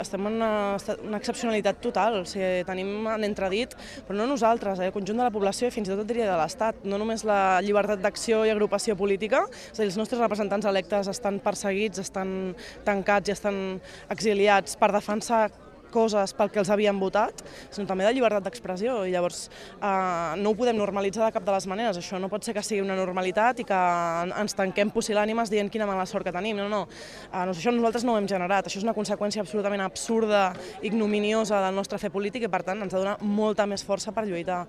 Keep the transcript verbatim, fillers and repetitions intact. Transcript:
Estem en una, una excepcionalitat total, o sigui, tenim en entredit, però no nosaltres, eh, el conjunt de la població i fins i tot et diria de l'Estat, no només la llibertat d'acció i agrupació política, és a dir, els nostres representants electes estan perseguits, estan tancats i estan exiliats per defensar coses pel que els havien votat, sinó també de llibertat d'expressió, i llavors eh, no ho podem normalitzar de cap de les maneres. Això no pot ser que sigui una normalitat i que ens tanquem pusil·lànimes dient quina mala sort que tenim. No, no. Eh, això nosaltres no ho hem generat, això és una conseqüència absolutament absurda, ignominiosa del nostre fer polític i per tant ens ha de donar molta més força per lluitar